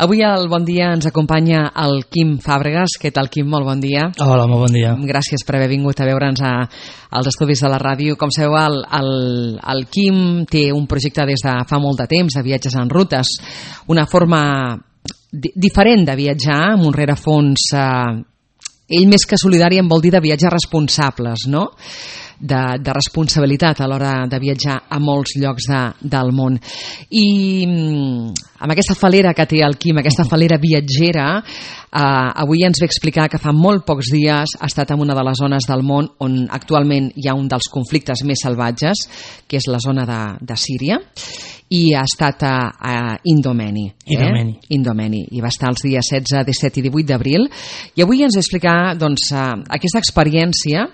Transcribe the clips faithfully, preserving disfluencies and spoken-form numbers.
Avui al Bon Dia ens acompanya el Quim Fàbregas. Què tal, Quim? Molt bon dia. Hola, molt bon dia. Gràcies per haver vingut a veure'ns a, als estudis de la ràdio. Com sabeu, el, el, el Quim té un projecte des de fa molt de temps de viatges en rutes, una forma di- diferent de viatjar, amb un rerefons... Eh, ell més que solidari em vol dir de viatges responsables, no? De, de responsabilitat a l'hora de viatjar a molts llocs de, del món. I amb aquesta falera que té el Quim, aquesta falera viatgera, eh, avui ens ve explicar que fa molt pocs dies ha estat en una de les zones del món on actualment hi ha un dels conflictes més salvatges, que és la zona de, de Síria, i ha estat a, a Indomeni. Eh? Indomeni. Indomeni. I va estar els dies setze, disset i divuit d'abril. I avui ens ve explicar doncs, eh, aquesta experiència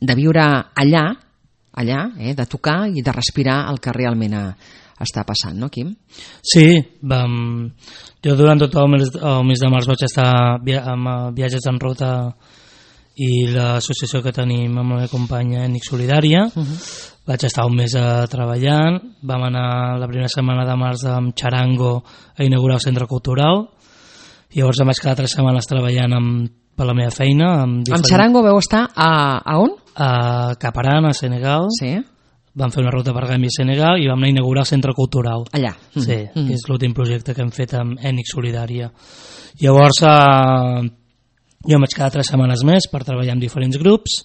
de viure allà, allà, eh, de tocar i de respirar el que realment a, està passant, no, Quim? Sí, vam, jo durant tot el mes, el mes de març vaig estar via, amb viatges en ruta i l'associació que tenim amb la meva companya Ètnic Solidària. Uh-huh. Vaig estar un mes uh, treballant, vam anar la primera setmana de març amb Charango a inaugurar el centre cultural, i llavors em vaig quedar tres setmanes treballant amb, per la meva feina. Amb, diferent... amb Charango veu estar a, a on? A Caparan, a Senegal. Sí. Vam fer una ruta per Gàmbia i Senegal i vam anar a inaugurar el centre cultural. Allà. Sí, mm. que és l'últim projecte que hem fet amb Ètnic Solidària. Llavors eh, jo em vaig quedar tres setmanes més per treballar amb diferents grups,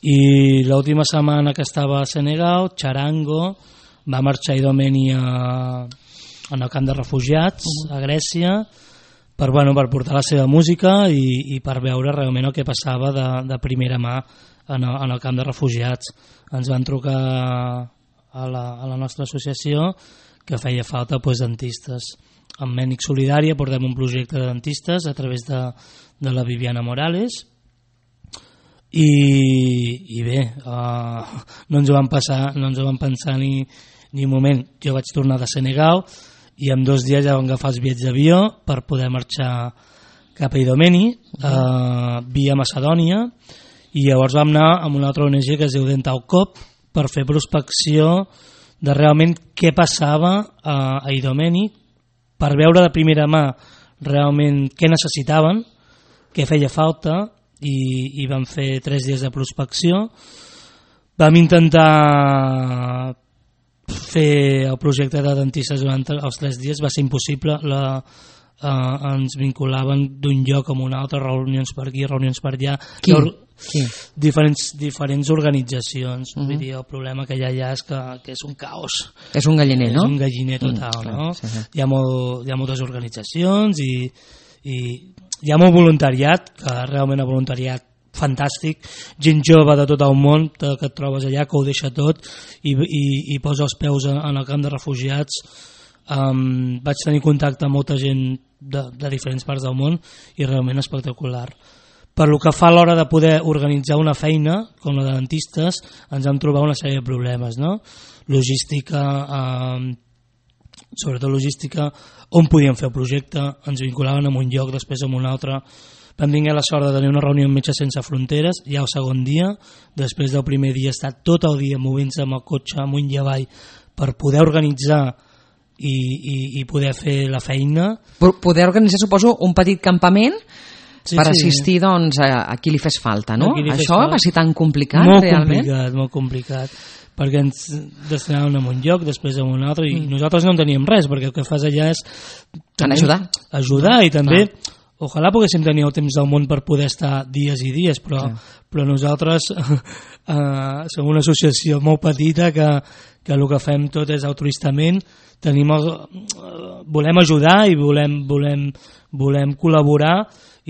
i l'última setmana que estava a Senegal, Charango va marxar a Idomeni a, en el camp de refugiats a Grècia per, bueno, per portar la seva música i, i per veure realment el que passava de, de primera mà en el, en el camp de refugiats. Ens van trucar a la, a la nostra associació que feia falta pues, dentistes. Amb Ètnic Solidària portem un projecte de dentistes a través de, de la Viviana Morales, i, i bé, uh, no ens ho van passar, no ens ho van pensar ni, ni un moment. Jo vaig tornar de Senegal i en dos dies ja vam agafar els bitllets d'avió per poder marxar cap a Idomeni, uh, via Macedònia, i llavors vam anar amb una altra O N G que es diu Dental Cop per fer prospecció de realment què passava a, a Idomeni, per veure de primera mà realment què necessitaven, què feia falta, i, i vam fer tres dies de prospecció. Vam intentar fer el projecte de dentistes durant els tres dies, va ser impossible. La, eh, ens vinculaven d'un lloc a un altre, reunions per aquí, reunions per allà. Qui? Qui? Diferents, diferents organitzacions. Uh-huh. Vull dir, el problema que hi ha allà és que, que és un caos. És un galliner, no? És un galliner total, mm, no? Sí, sí. Hi ha, molt, hi ha moltes organitzacions i, i hi ha molt voluntariat, que realment el voluntariat fantàstic, gent jove de tot el món que et trobes allà, que ho deixa tot i, i, i posa els peus en, en el camp de refugiats. Um, vaig tenir contacte amb molta gent de, de diferents parts del món i realment espectacular. Per lo que fa a l'hora de poder organitzar una feina com la de dentistes, ens vam trobar una sèrie de problemes, no? Logística, eh, sobretot logística, on podíem fer el projecte, ens vinculaven en un lloc, després en un altre. Vam tenir la sort de tenir una reunió amb Metges Sense Fronteres ja el segon dia, després del primer dia estar tot el dia movent-se amb el cotxe amunt i avall per poder organitzar i, i, i poder fer la feina. Poder organitzar, suposo, un petit campament sí, per sí. assistir doncs, a, a qui li fes falta, no? Fes Això falta. Va ser tan complicat, molt realment? Molt complicat, molt complicat, perquè ens destinaven en un lloc, després en un altre, i mm. nosaltres no en teníem res, perquè el que fas allà és també, ajudar. Ajudar, i també, clar, ojalà poguéssim tenir el temps del món per poder estar dies i dies, però, però nosaltres eh, som una associació molt petita que, que el que fem tot és altruistament. Tenim el, volem ajudar i volem, volem, volem col·laborar,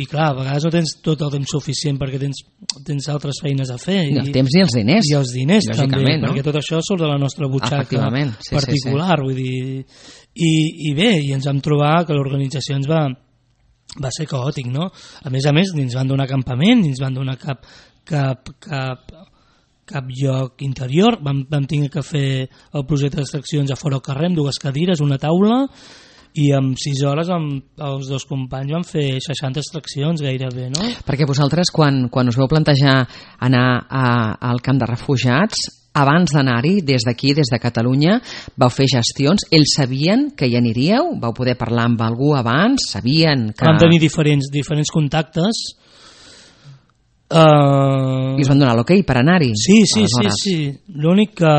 i clar, a vegades no tens tot el temps suficient perquè tens, tens altres feines a fer. I el temps i els diners. I els diners també, no? perquè tot això surt de la nostra butxaca sí, particular. Sí, sí. Vull dir, i, i bé, i ens vam trobar que l'organització ens va, va ser caòtic, no? A més a més, ni ens van donar campament, ni ens van donar cap, cap, cap, cap lloc interior. Vam, vam tenir que fer el projecte d'extraccions a fora al carrer amb dues cadires, una taula, i en sis hores amb els dos companys vam fer seixanta extraccions gairebé, no? Perquè vosaltres, quan, quan us veu plantejar anar a, al camp de refugiats, abans d'anar-hi, des d'aquí, des de Catalunya, vau fer gestions, ells sabien que hi aniríeu? Vau poder parlar amb algú abans? Sabien que... Vam tenir diferents, diferents contactes. Uh... I us van donar l'ok per anar-hi? Sí, sí, aleshores. sí, sí. L'únic que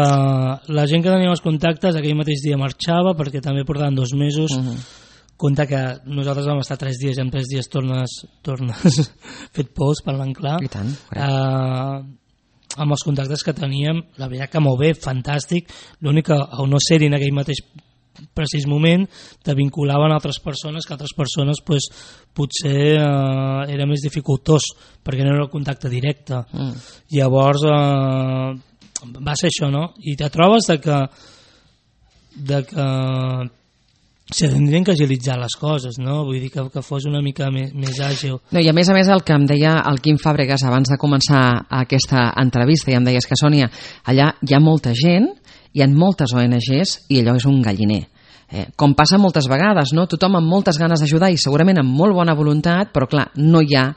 la gent que tenia els contactes aquell mateix dia marxava, perquè també portaven dos mesos. Uh-huh. Compte que nosaltres vam estar tres dies i en tres dies tornes, tornes fet pous, parlant clar. I tant, uh, amb els contactes que teníem, la veritat que molt bé, fantàstic. L'únic que al no ser-hi en aquell mateix precís moment te vinculaven a altres persones que altres persones pues, potser eh, era més dificultós perquè no era el contacte directe. Mm. Llavors eh, va ser això, no? I te trobes de que de que se tindrien que agilitzar les coses, no? Vull dir que, que fos una mica més, més àgil. No, i a més a més el que em deia el Quim Fàbregas abans de començar aquesta entrevista, i em deies que Sònia, allà hi ha molta gent, hi ha moltes O N Ges i allò és un galliner. Eh, com passa moltes vegades, no? Tothom amb moltes ganes d'ajudar i segurament amb molt bona voluntat, però clar, no hi ha,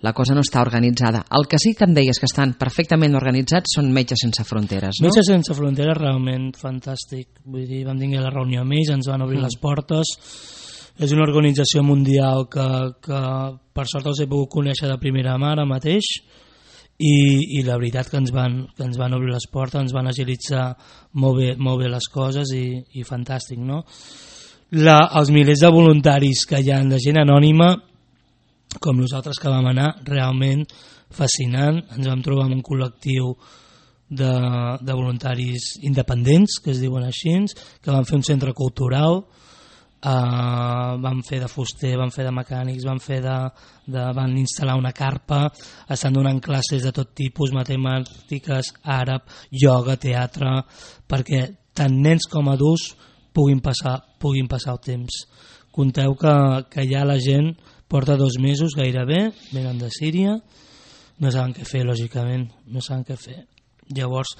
la cosa no està organitzada. El que sí que em deies que estan perfectament organitzats són Metges Sense Fronteres, no? Metges Sense Fronteres, realment fantàstic. Vull dir, vam tenir la reunió amb ells, ens van obrir mm. les portes. És una organització mundial que, que per sort els he pogut conèixer de primera mà ara mateix. I, i la veritat que ens van, que ens van obrir les portes, ens van agilitzar molt bé, molt bé les coses i, i fantàstic, no? La, els milers de voluntaris que hi ha de gent anònima com nosaltres que vam anar, realment fascinant. Ens vam trobar amb un col·lectiu de, de voluntaris independents, que es diuen així, que van fer un centre cultural. Uh, van fer de fuster, van fer de mecànics, van fer de, de van instal·lar una carpa, estan donant classes de tot tipus, matemàtiques, àrab, ioga, teatre, perquè tant nens com adults puguin passar, puguin passar el temps. Conteu que, que ja la gent porta dos mesos gairebé, venen de Síria, no saben què fer, lògicament, no saben què fer. Llavors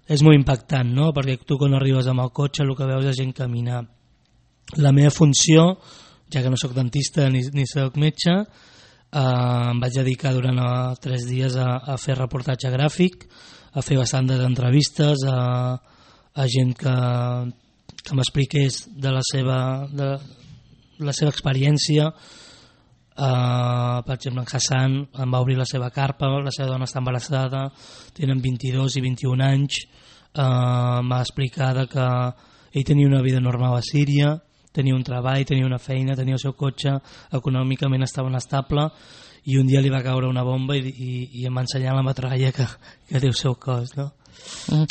és molt impactant, no? Perquè tu quan arribes amb el cotxe el que veus és gent caminar. La meva funció, ja que no sóc dentista ni, ni sóc metge, eh, em vaig dedicar durant eh, tres dies a, a fer reportatge gràfic, a fer bastantes entrevistes a, a gent que, que m'expliqués de la seva, de la seva experiència. Uh, per exemple, en Hassan em va obrir la seva carpa, la seva dona està embarassada, tenen vint-i-dos i vint-i-un anys. Uh, m'ha explicat que ell tenia una vida normal a Síria, tenia un treball, tenia una feina, tenia el seu cotxe, econòmicament estava estable, i un dia li va caure una bomba i, i, i em va ensenyar la metralla que, que té el seu cos, no? Mm.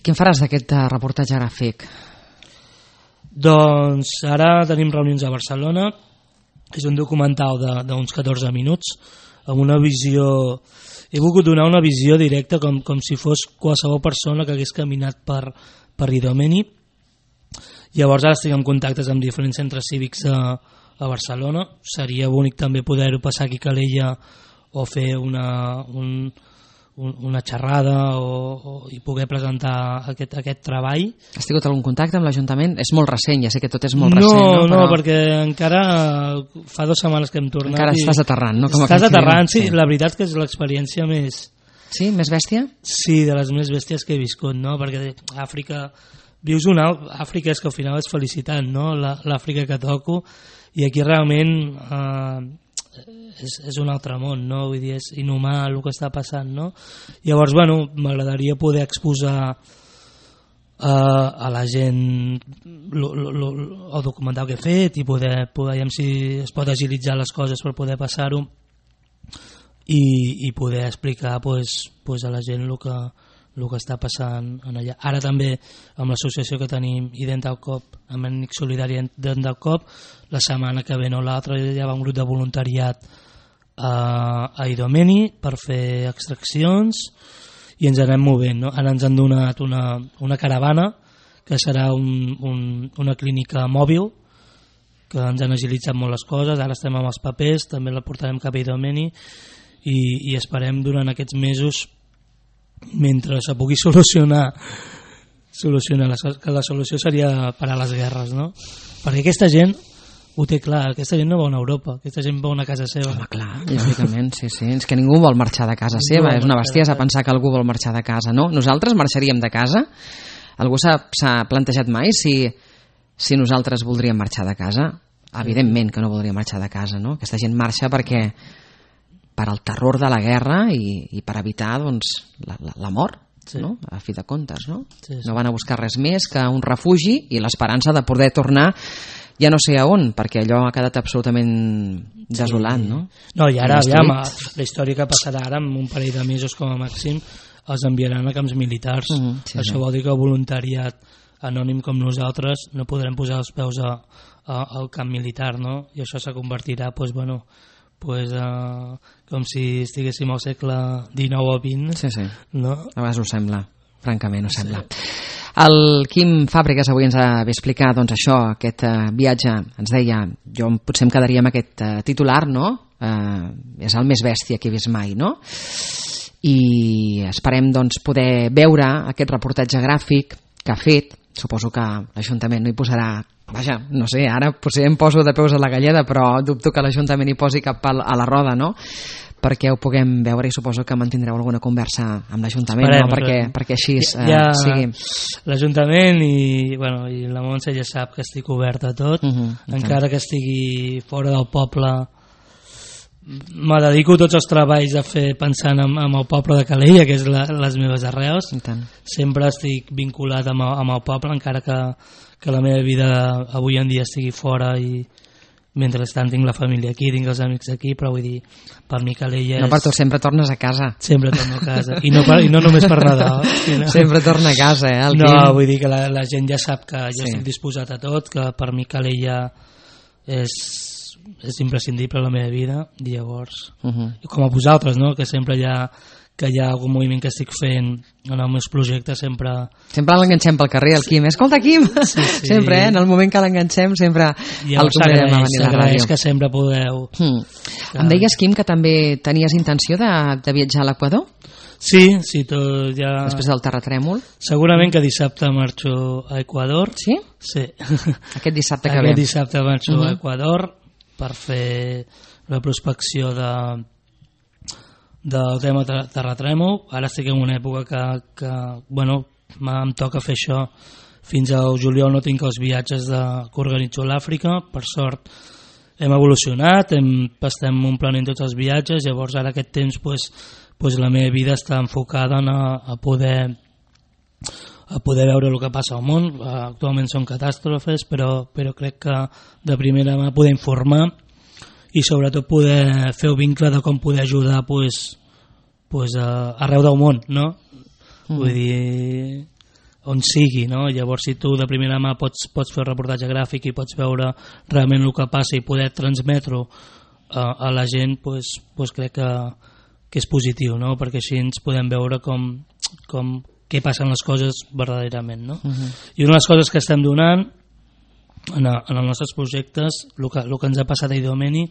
Què en faràs d'aquest reportatge gràfic? Doncs ara tenim reunions a Barcelona. És un documental d'uns catorze minuts amb una visió... He volgut donar una visió directa com, com si fos qualsevol persona que hagués caminat per, per Idomeni. Llavors ara estic en contactes amb diferents centres cívics a, a Barcelona. Seria bonic també poder-ho passar aquí a Calella o fer una, un, un, una xerrada o, o, i poder presentar aquest, aquest treball. Has tingut algun contacte amb l'Ajuntament? És molt recent, ja sé que tot és molt recent. No, no, no Però... perquè encara fa dues setmanes que hem tornat. Encara i... estàs aterrant, no? Com estàs aterrant, sí. La veritat que és l'experiència més... Sí? Més bèstia? Sí, de les més bèsties que he viscut, no? Perquè Àfrica... Vius una... Àfrica és que al final és felicitat, no? L'Àfrica que toco, i aquí realment eh, és, és un altre món, no? Vull dir, és inhumà el que està passant, no? Llavors, bueno, m'agradaria poder exposar eh, a la gent lo, lo, lo, el documental que he fet i poder, poder si es pot agilitzar les coses per poder passar-ho i, i poder explicar pues, pues a la gent el que, el que està passant en allà. Ara també amb l'associació que tenim Ident al Cop, amb Ènic Solidari Ident al Cop, la setmana que ve no l'altra ja va un grup de voluntariat a, a Idomeni per fer extraccions i ens anem movent, no? Ara ens han donat una, una caravana que serà un, un, una clínica mòbil que ens han agilitzat molt les coses. Ara estem amb els papers, també la portarem cap a Idomeni i, i esperem durant aquests mesos, mentre se pugui solucionar solucionar la, que la solució seria parar les guerres, no? Perquè aquesta gent ho té clar, aquesta gent no va a Europa, aquesta gent va a una casa seva. Home, clar, lògicament, sí, sí. És que ningú vol marxar de casa seva, és una bestiesa pensar que algú vol marxar de casa, no? Nosaltres marxaríem de casa? Algú s'ha plantejat mai si, si nosaltres voldríem marxar de casa? Evidentment que no voldríem marxar de casa, no? Aquesta gent marxa perquè per al terror de la guerra i, i per evitar, doncs, la, la, la mort. Sí. No? A fi de comptes, no? Sí, sí. No van a buscar res més que un refugi i l'esperança de poder tornar ja no sé a on, perquè allò ha quedat absolutament desolat, sí. No? No, i ara, aviam, la història que passarà ara, en un parell de mesos com a màxim, els enviaran a camps militars. Uh -huh, sí, això sí. Vol dir que el voluntariat anònim com nosaltres no podrem posar els peus a, a, al camp militar, no? I això se convertirà, doncs, bueno, pues, uh, com si estiguéssim al segle dinou o vint. Sí, sí. No? A vegades ho sembla, francament ho sembla. Sí. El Quim Fàbregas avui ens va explicar, doncs, això, aquest uh, viatge. Ens deia, jo potser em quedaria amb aquest uh, titular, no? Uh, és el més bèstia que he vist mai, no? I esperem, doncs, poder veure aquest reportatge gràfic que ha fet. Suposo que l'Ajuntament no hi posarà, vaja, no sé, ara potser em poso de peus a la galleda, però dubto que l'Ajuntament hi posi cap pal a la roda, no? Perquè ho puguem veure i suposo que mantindreu alguna conversa amb l'Ajuntament, no? perquè, perquè així eh, ja, sigui. L'Ajuntament i, bueno, i la Montse ja sap que estic obert a tot, uh -huh, encara que estigui fora del poble. Me dedico tots els treballs a fer pensant en, en el poble de Calella, que és la, les meves arrels. Sempre estic vinculat amb el, amb el poble, encara que, que la meva vida avui en dia estigui fora i mentrestant tinc la família aquí, tinc els amics aquí, però vull dir, per mi Calella és... No, per tu sempre tornes a casa. Sempre torno a casa, i no, per, i no només per Nadal. Sinó... Sempre torna a casa, eh? El no, Quim. Vull dir que la, la gent ja sap que jo sí. Estic disposat a tot, que per mi Calella és... és imprescindible a la meva vida, i llavors uh -huh. com a vosaltres, no? Que sempre hi ha, que hi ha algun moviment que estic fent en els meus projectes, sempre sempre l'enganxem pel carrer, el Quim, escolta Quim, sí, sí. Sempre, eh? En el moment que l'enganxem sempre el convidem a venir a la ràdio. Que sempre podeu hmm. que... Em deies, Quim, que també tenies intenció de, de viatjar a l'Equador? Sí, sí, tot ja... Després del terratrèmol? Segurament que dissabte marxo a Equador. Sí? Sí. Aquest dissabte que Aquest ve. Aquest dissabte marxo uh -huh. a Equador per fer la prospecció de del tema terratrèmol. Ara estic en una època que, que bueno, em toca fer això. Fins al juliol no tinc els viatges de, que organitzo a l'Àfrica. Per sort hem evolucionat, hem, estem omplenent tots els viatges, llavors ara aquest temps pues, pues la meva vida està enfocada en a, a poder a poder veure el que passa al món. Actualment són catàstrofes, però, però crec que de primera mà poder informar i sobretot poder fer el vincle de com poder ajudar pues, pues, a, arreu del món, no? Mm. Vull dir, on sigui, no? Llavors si tu de primera mà pots, pots fer un reportatge gràfic i pots veure realment el que passa i poder transmetre-ho a, a la gent, pues, pues crec que, que és positiu, no? Perquè així ens podem veure com, com què passen les coses verdaderament, no? Uh-huh. I una de les coses que estem donant en, a, en els nostres projectes, el que, el que ens ha passat a Idomeni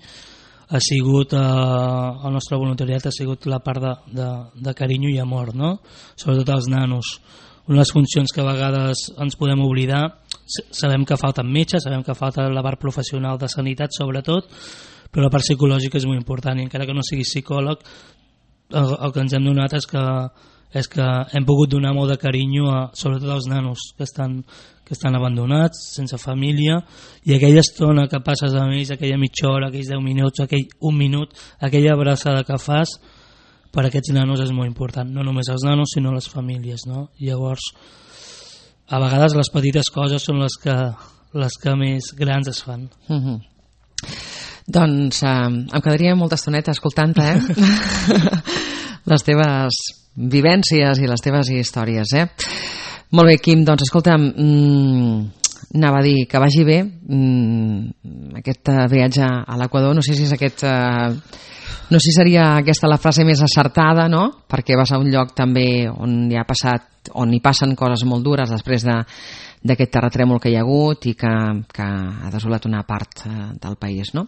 ha sigut eh, el nostre voluntariat ha sigut la part de, de, de carinyo i amor, no? Sobretot als nanos. Una de les funcions que a vegades ens podem oblidar, sabem que falten metges, sabem que falta la part professional de sanitat sobretot, però la part psicològica és molt important i encara que no sigui psicòleg, el, el que ens hem donat és que és que hem pogut donar molt de carinyo a, sobretot als nanos que estan, que estan abandonats, sense família, i aquella estona que passes amb ells, aquella mitja hora, aquells deu minuts, aquell un minut, aquella abraçada que fas, per a aquests nanos és molt important, no només els nanos sinó les famílies, no? Llavors, a vegades les petites coses són les que, les que més grans es fan. Mm-hmm. Doncs eh, em quedaria molta estoneta escoltant-te, eh? les teves vivències i les teves històries, eh? Molt bé, Quim, doncs escolta'm, mmm, anava a dir que vagi bé mmm, aquest viatge a l'Equador, no sé si és aquest eh, no sé si seria aquesta la frase més acertada, no? Perquè vas a un lloc també on hi ha passat, on hi passen coses molt dures després de, d'aquest terratrèmol que hi ha hagut i que, que ha desolat una part eh, del país, no?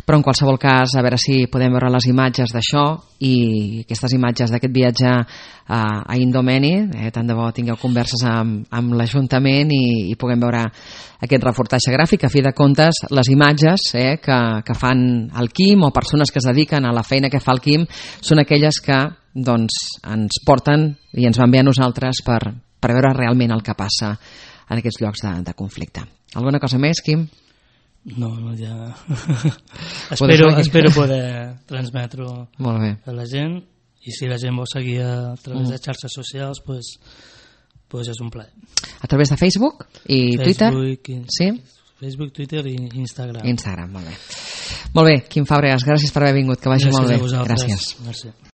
Però en qualsevol cas, a veure si podem veure les imatges d'això i aquestes imatges d'aquest viatge a, a Indomeni, eh, tant de bo tingueu converses amb, amb l'Ajuntament i, i puguem veure aquest reportatge gràfic. A fi de comptes, les imatges eh, que, que fan el Quim o persones que es dediquen a la feina que fa el Quim són aquelles que doncs, ens porten i ens van bé a nosaltres per, per veure realment el que passa en aquests llocs de, de conflicte. Alguna cosa més, Quim? No, no, ja... espero, espero poder transmetre-ho a la gent i si la gent vol seguir a través mm. de xarxes socials, pues, pues és un plaer. A través de Facebook i Facebook, Twitter? I, sí? Facebook, Twitter i Instagram. Instagram, molt bé. Molt bé, Quim Fàbregas, gràcies per haver vingut, que vagi gràcies molt bé. Gràcies. Gràcies.